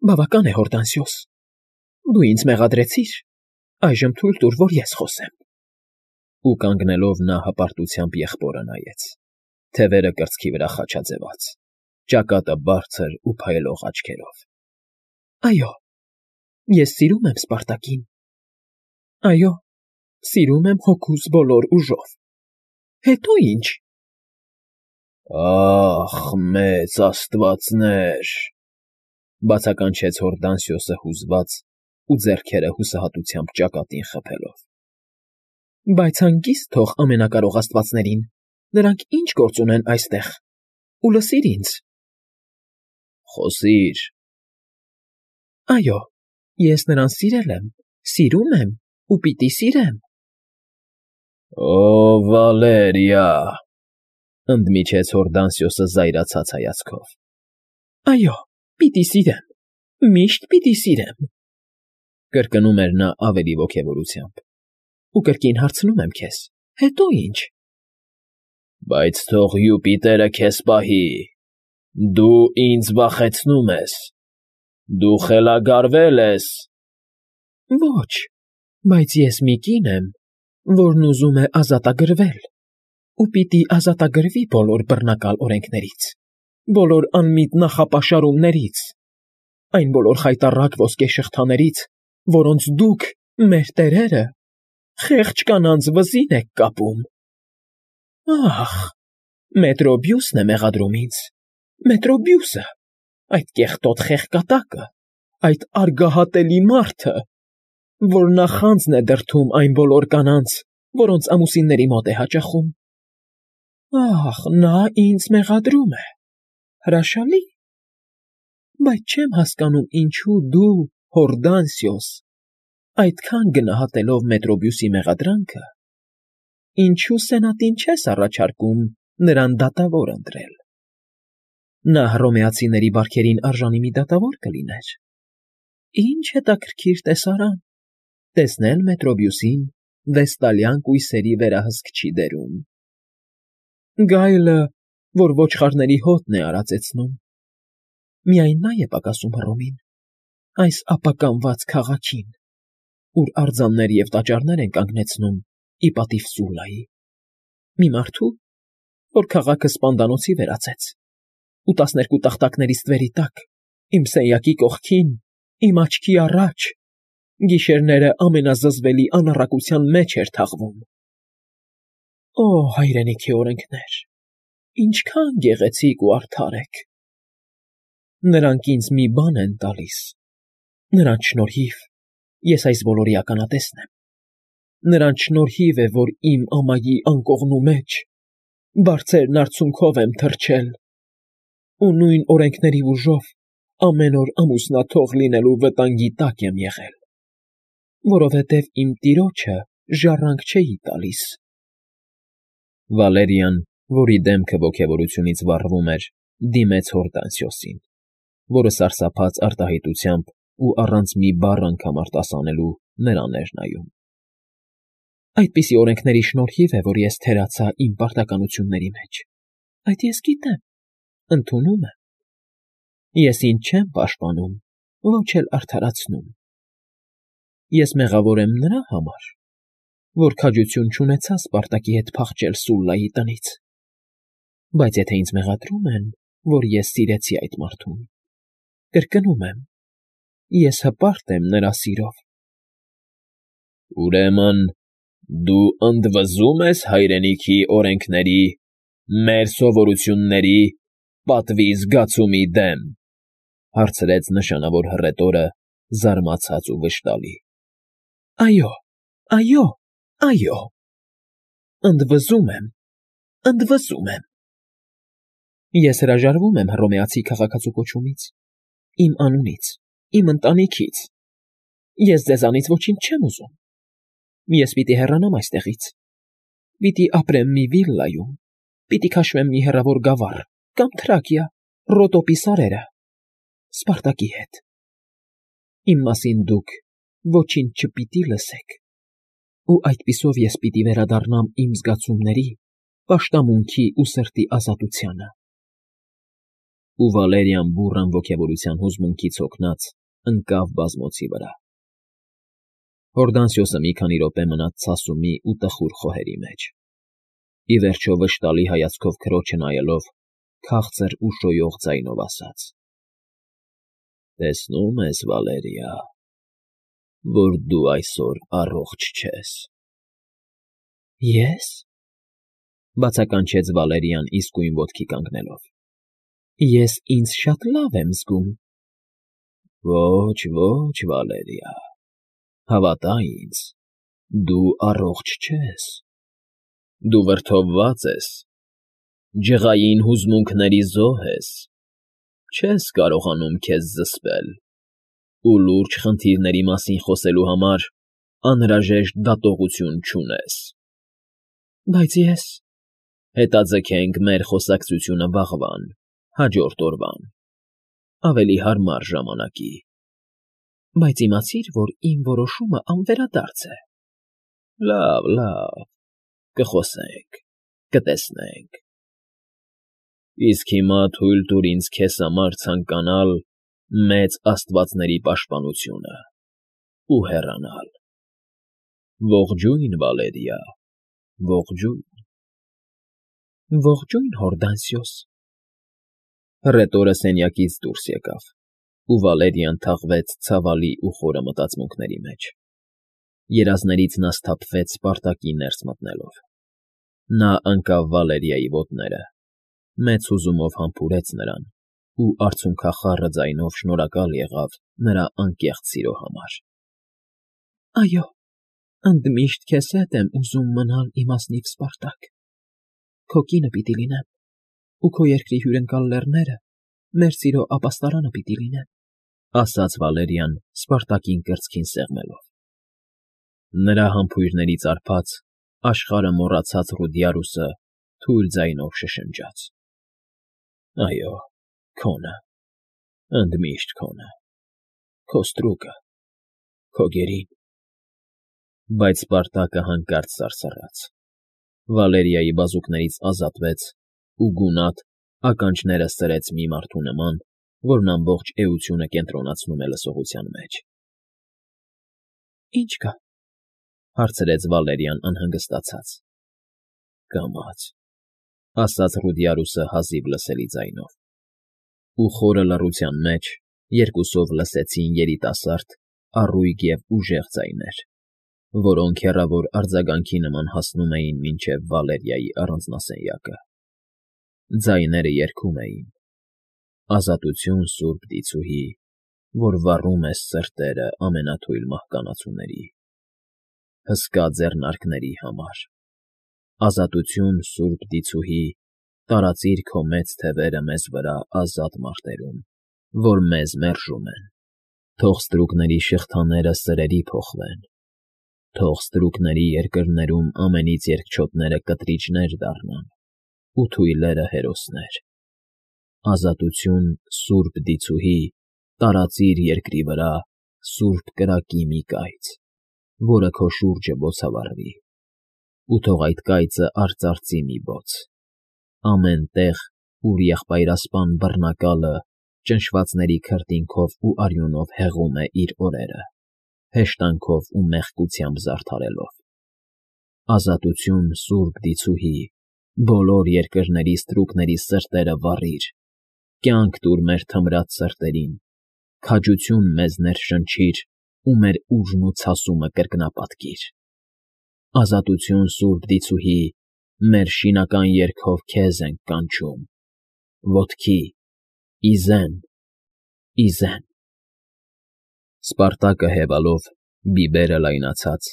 Բավական է, Հորդանսիոս, դու ինձ մեղադրեցիր, այժմ թույլ տուր, որ ես խոսեմ։ Ու կանգնելով նա հպարտությամբ եղբորը նայեց, թևերը կրծքի վրա խաչաձևած, ճակատը բարձր ու փայլող աչքերով։ Այո, ես սիրում եմ Սպարտակին։ Այո, սիրում եմ հոգուս բոլոր ուժով։ Հետո ինչ։ Ախ, մեծ աստվածներ, բացականչեց Հորդանսիոսը հուզված ու ձեռքերը հուսահատությամբ ճակատին խփելով։ Բայց հանգիստ թող ամենակարող աստվածներին, նրանք ինչ գործ ունեն այստեղ, ու լսիր ինձ։ Խոսիր։ Այո, ես նրան սիրել եմ, սիրում եմ ու պիտի սիրեմ։ Օ, Վալերիա, ընդմիջեց Հորդանսիոսը զայրացած հայացքով։ Այո, պիտի սիրեմ, միշտ պիտի սիրեմ, կրկնում էր նա ավելի ոգևորությամբ։ Ու կրկին հարցնում եմ քեզ, հետո ինչ։ Բայց թող Յուպիտերը քեզ պահի, դու ինձ վախեցնում ես, դու խելագարվել ես։ Ոչ, բայց ես մի կին եմ, որն ուզում է ազատագրվել, ու պիտի ազատագրվի բոլոր բռնակալ օրենքներից, բոլոր անմիտ նախապաշարումներից, այն բոլոր խայտառակ ոսկե շղթաներից, որոնց դուք, մեր տերերը, խեղճ կանանց վզին եք կապում։ Ախ, Մետրոբիուսն է մեղադրում ինձ, Մետրոբիուսը, այդ կեղտոտ խեղկատակը, այդ արգահատելի մարդը, որ նախանձն է դրդում այն բոլոր կանանց, որոնց ամուսինների մոտ է հաճախում։ Ախ, նա ինձ մեղադրում է, հրաշալի։ Բայց չեմ հասկանում, ինչու դու, Հորդանսիոս, այդքան գնահատելով Մետրոբիուսի մեղադրանքը, ինչու սենատին չես առաջարկում նրան դատավոր ընտրել։ Նա հռոմեացիների բարքերին արժանի մի դատավոր կլիներ։ Ինչ հետաքրքիր տեսարան, տեսնել Մետրոբիուսին վեստալյան կույսերի վերահսկչի դերում։ Գայլը, որ ոչխարների հոտն է արածեցնում։ Միայն նա է պակասում Հռոմին, այս ապականված քաղաքին, ուր արձաններ և տաճարներ են կանգնեցնում ի պատիվ Սուլլայի, մի մարդու, որ քաղաքը սպանդանոցի վերածեց, ու 12 տախտակների ստվերի տակ, իմ սենյակի կողքին, իմ աչքի առաջ, գիշերները ամենազզվելի անառակության մեջ էր թաղվում։ Օ, հայրենիքի օրենքներ, ինչքան գեղեցիկ ու արդար եք։ Նրանք ինձ մի բան են տալիս, նրանց շնորհիվ ես այս բոլորի ականատեսն եմ։ Նրանց շնորհիվ է, որ իմ ամայի անկողնու մեջ բարձրն արցունքով եմ թռչել, ու նույն օրենքների ուժով ամեն օր ամուսնաթող լինելու վտանգի տակ եմ եղել, որովհետև իմ տիրոջը ժառանգ չէի տալիս։ Վալերիան, որի դեմքը ոգևորությունից վառվում էր, դիմեց Հորդանսիոսին, որը սարսափած արտահայտությամբ ու առանց մի բառ անգամ արտասանելու նրան էր նայում։ Այդպիսի օրենքների շնորհիվ է, որ ես թերացա իմ պարտականությունների մեջ։ Այդ ես գիտեմ, ընդունում եմ։ Ես ինձ չեմ պաշտպանում, ոչ էլ արդարացնում։ Ես մեղավոր եմ նրա համար, որ քաջություն չունեցա Սպարտակի հետ փախչել Սուլլայի տնից։ Բայց եթե ինձ մեղադրում են, որ ես սիրեցի այդ մարդուն, կրկնում եմ, ես հպարտ եմ նրա սիրով։ Ուրեմն դու ընդվզում ես հայրենիքի օրենքների, մեր սովորությունների, պատվի զգացումի դեմ, հարցրեց նշանավոր հռետորը, զարմացած ու վշտալի։ Այո, այո, այո, ընդվզում եմ, ընդվզում եմ։ Ես հրաժարվում եմ հռոմեացի քաղաքացու կոչումից, իմ անունից, իմ ընտանիքից։ Ես ձեզանից ոչինչ չեմ ուզում։ Ես պիտի հեռանամ այստեղից։ Պիտի ապրեմ մի վիլլայում, պիտի քաշվեմ մի հեռավոր գավառ, կամ Թրակիա, Ռոտոպի սարերը, Սպարտակի հետ։ Իմ մասին դուք ոչինչ չպիտի լսեք, ու այդպիսով ես պիտի վերադառնամ իմ զգացումների, պաշտամունքի ու սրտի ազատությանը։ Ու Վալերիան բուռն ոգևորության հուզմունքից հոգնած ընկավ բազմոցի վրա։ Հորդանսիոսը մի քանի րոպե մնաց ցասումի ու տխուր խոհերի մեջ։ Ի վերջո վշտալի հայացքով քրոջը նայելով, քաղցր ու շոյող ձայնով ասաց. «Տեսնում ես, Վալերիա, որ դու այսօր առողջ չես»։ Ե՞ս,֊ բացականչեց Վալերիան իսկույն ոտքի կանգնելով։ Ես ինձ շատ լավ եմ զգում։ Ոչ, ոչ, Վալերիա, հավատա ինձ, դու առողջ չես։ Դու վրդովված ես, ջղային հուզմունքների զոհ ես, չես կարողանում քեզ զսպել ու լուրջ խնդիրների մասին խոսելու համար անհրաժեշտ դատողություն չունես։ Բայց ես… Հետաձգենք մեր խոսակցությունը վաղվան, հաջորդ օրվան, ավելի հարմար ժամանակի։ Բայց իմացիր, որ իմ որոշումը անվերադարձ է։ Լավ, լավ, կխոսենք, կտեսնենք։ Իսկ հիմա թույլ տուր ինձ քեզ համար ցանկանալ մեծ աստվածների պաշտպանությունը ու հեռանալ։ Ողջույն, Վալերիա, ողջույն։ Ողջույն, Հորդանսիոս։ Հռետորը սենյակից դուրս եկավ, ու Վալերիան թաղվեց ցավալի ու խորը մտածմունքների մեջ։ Երազներից նա սթափվեց Սպարտակի ներս մտնելով։ Նա ընկավ Վալերիայի ոտները, մեծ հուզումով համբուրեց նրան ու արցունքախառը ձայնով շնորհակալ եղավ նրա անկեղծ սիրո համար։ Այո, ընդմիշտ քեզ հետ եմ ուզում մնալ, իմաստնիվ Սպարտակ։ Քո կինը պիտի լինեմ, ու քո երկրի հյուրընկալ լեռները մեր սիրո ապաստարանը պիտի լինեն, ասաց Վալերիան Սպարտակին կրծքին սեղմելով։ Նրա համբույրներից արբած, աշխարհը մոռացած Ռուդիարուսը թույլ ձայնով շշնջաց. Այո, քոնը, ընդմիշտ քոնը, քո ստրուկը, քո գերին։ Բայց Սպարտակը հանկարծ սարսռաց։ Վալերիայի բազուկներից ազատվեց ու գունատ ականջները սրեց մի մարդու նման, որն ամբողջ էությունը կենտրոնացնում է լսողության մեջ։ Ինչ կա,֊ հարցրեց Վալերիան անհանգստացած։ Կամաց,֊ ասաց Ռուդիարուսը հազիվ լսելի ձայնով։ Ու խորը լռության մեջ երկուսով լսեցին երիտասարդ, առույգ և ուժեղ ձայներ, որոնք հեռավոր արձագանքի նման հասնում էին մինչև Վալերիայի առանձնասենյակը։ Ձայները երգում էին. Ազատություն, Սուրբ Դիցուհի, որ վառում ես սրտերը ամենաթույլ մահկանացուների, հսկա ձեռնարկների համար։ Ազատություն, Սուրբ Դիցուհի, տարածիր քո մեծ թևերը մեզ վրա ազատ մարտերում, որ մեզ մերժում են։ Թող ստրուկների շղթաները սրերի փոխվեն։ Թող ստրուկների երկրներում ամենից երկչոտները կտրիճներ դառնան, ու թույլերը հերոսներ։ Ազատություն, Սուրբ Դիցուհի, տարածիր երկրի վրա սուրբ կրակի մի կայծ, որը քո շուրջը բոցավառվի, ու թող այդ կայծը արծարծի մի բոց։ Ամեն տեղ, ուր եղբայրասպան բռնակալը ճնշվածների քրտինքով ու արյունով հեղում է իր օրերը, հեշտանքով ու մեղքությամբ զարդարելով։ Ազատություն, Սուրբ Դիցուհի, բոլոր երկրների ստրուկների սրտերը վառիր, կյանք տուր մեր թմրած սրտերին, քաջություն մեզ ներշնչիր ու մեր ուժն ու ցասումը կրկնապատկիր։ Ազատություն, Սուրբ Դիցուհի, մեր շինական երգով քեզ ենք կանչում, ոտքի, ի զեն, ի զեն։ Սպարտակը հևալով, բիբերը լայնացած,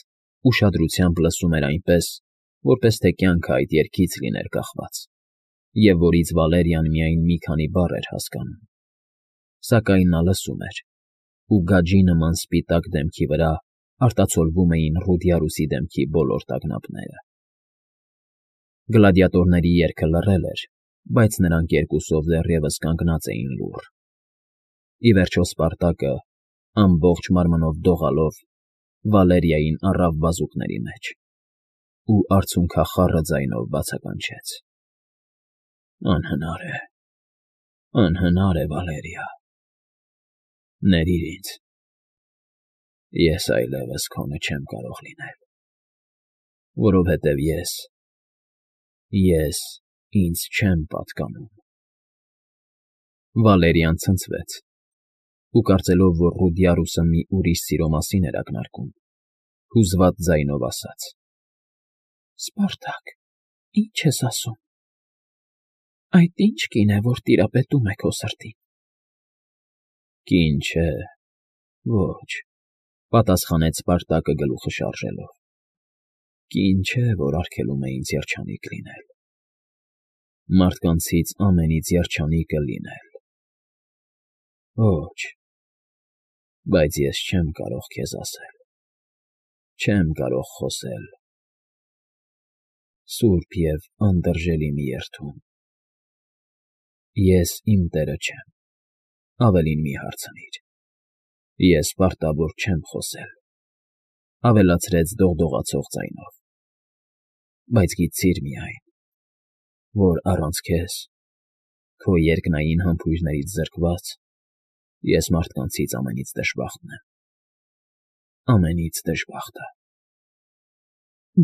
ուշադրությամբ լսում էր այնպես, որպես թե կյանքը այդ երգից լիներ կախված, և որից Վալերիան միայն մի քանի բառ էր հասկանում։ Սակայն նա լսում էր, ու գաջի նման սպիտակ դեմքի վրա արտացոլվում էին Ռուդիարուսի դեմքի բոլոր տագնապները։ Գլադիատորների երգը լռել էր, բայց նրանք երկուսով դեռևս կանգնած էին լուռ։ Ի վերջո Սպարտակը, ամբողջ մարմնով դողալով, Վալերիային առավ բազուկների մեջ ու արցունքախառը ձայնով բացականչեց. Անհնար է, Անհնար է, Վալերիա, ներիր ինձ, ես այլևս քոնը չեմ կարող լինել, որովհետև ես ինձ չեմ պատկանում։ Վալերիան ցնցվեց ու կարծելով, որ Ռուդիարուսը մի ուրիշ սիրո մասին էր ակնարկում, հուզված ձայնով ասաց. Սպարտակ, ի՞նչ ես ասում։ Այդ ի՞նչ կին է, որ տիրապետում է քո սրտին։ Կին չէ, ոչ, պատասխանեց Սպարտակը գլուխը շարժելով։ Կին չէ, որ արգելում է ինձ երջանիկ լինել։ Մարդկանցից ամենից երջանիկը լինել։ Ոչ, բայց ես չեմ կարող քեզ ասել, չեմ կարող խոսել։ Սուրբ և անդրժելի մի երդում։ Ես իմ տերը չեմ, ավելին մի հարցնիր։ Ես պարտավոր չեմ խոսել, ավելացրեց դողդողացող ձայնով, բայց գիտցիր միայն, որ առանց քեզ, քո երկնային համբույրներից զրկված, ես մարդկանցից ամենից դժբախտն եմ, ամենից դժբախտը։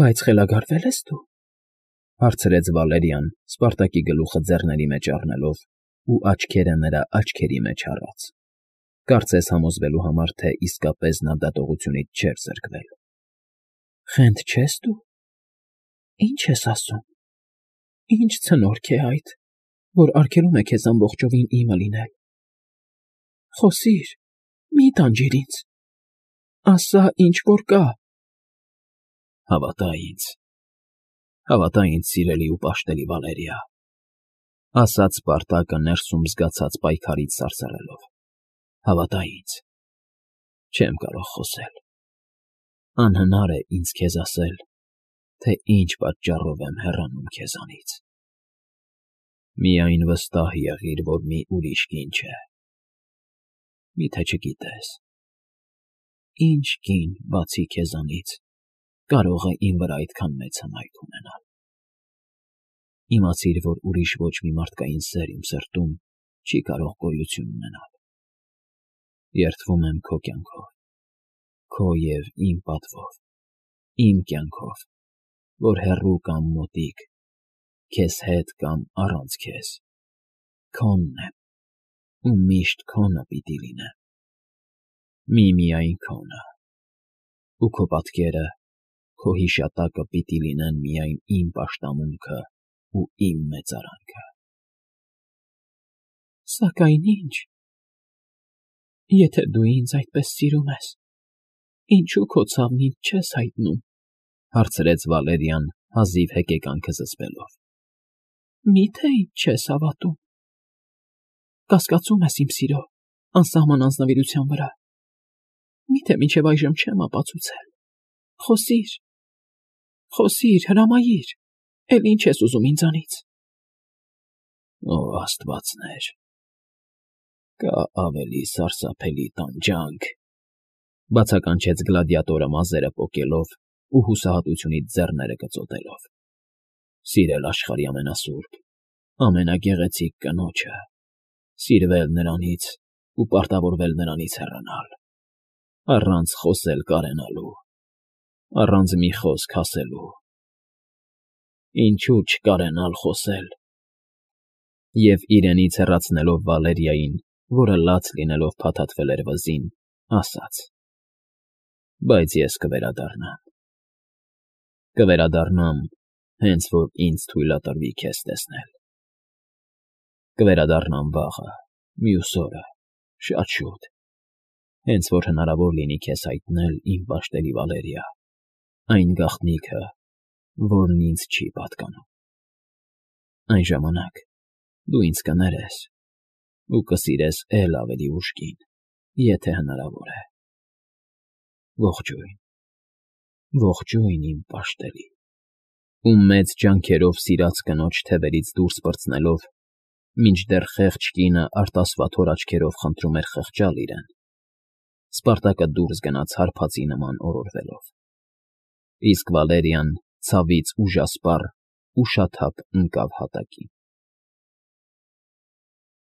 Բայց խելագարվե՞լ ես դու, հարցրեց Վալերիան, Սպարտակի գլուխը ձեռների մեջ առնելով ու աչքերը նրա աչքերի մեջ առած, կարծես համոզվելու համար, թե իսկապես նա դատողությունից չէր զրկվել։ Խենթ չես դու։ Ինչ ես ասում։ Ինչ ցնորք է այդ, որ արգելում է քեզ ամբողջովին իմը լինել։ Խոսիր, մի տանջիր ինձ։ Ասա, ինչ որ կա։ Հավատա ինձ, սիրելի ու պաշտելի Վալերիա, ասաց Սպարտակը ներսում զգացած պայքարից սարսռելով։ Հավատա ինձ, չեմ կարող խոսել։ Անհնար է ինձ քեզ ասել, թե ինչ պատճառով եմ հեռանում քեզանից։ Միայն վստահ եղիր, որ մի ուրիշ կին չէ։ Միթե չգիտես, ինչ կին, բացի քեզանից, կարող է իմ վրա այդքան մեծ հմայք ունենալ։ Իմացիր, որ ուրիշ ոչ մի մարդկային սեր իմ սրտում չի կարող գոյություն ունենալ։ Երդվում եմ քո կյանքով, քո և իմ պատվով, իմ կյանքով, որ հեռու կամ մոտիկ, քեզ հետ կամ առանց քեզ, քոնն եմ, ու միշտ քոնը պիտի լինեմ։ Միմիայն քոնը, ու քո պատկերը, քո հիշատակը պիտի լինեն միայն իմ պաշտամունքը ու իմ մեծարանքը։ Սակայն ինչ։ Եթե դու ինձ այդպես սիրում ես, ինչու քո ցավն ինձ չես հայտնում, հարցրեց Վալերիան հազիվ հեկեկանքը զսպելով։ Միթե ինձ չես հավատում։ Կասկածում ես իմ սիրո անսահման անձնվիրության վրա։ Միթե մինչև այժմ չեմ ապացուցել։ Խոսիր, հրամայիր, էլ ինչ ես ուզում ինձանից։ Օ, աստվածներ, կա ավելի սարսափելի տանջանք, բացականչեց գլադիատորը մազերը պոկելով ու հուսահատությունից ձեռները կծոտելով։ Սիրել աշխարհի ամենասուրբ, ամենագեղեցիկ կնոջը, սիրվել նրանից ու պարտավորվել նրանից հեռանալ, առանց խոսել կարենալու, առանց մի խոսք ասելու։ Ինչու չկարենալ խոսել։ Եվ իրենից հեռացնելով Վալերիային, որը լաց լինելով փաթաթվել էր վզին, ասաց. Բայց ես կվերադառնամ։ Կվերադառնամ, հենց որ ինձ թույլատրվի քեզ տեսնել։ Կվերադառնամ վաղը, մյուս օրը, շատ շուտ, հենց որ հնարավոր լինի քեզ հայտնել, իմ պաշտելի Վալերիա, այն գաղտնիքը, որն ինձ չի պատկանում։ Այն ժամանակ դու ինձ կներես ու կսիրես էլ ավելի ուժգին, եթե հնարավոր է։ Ողջույն, ողջույն իմ պաշտելի։ Ու մեծ ջանքերով սիրած կնոջ թևերից դուրս պրծնելով, մինչդեռ խեղճ կինը արտասվաթոր աչքերով խնդրում էր խղճալ իրեն, Սպարտակը դուրս գնաց հարբածի նման օրորվելով։ Իսկ Վալերիան ցավից ուժասպառ ու շաթափ ընկավ հատակին։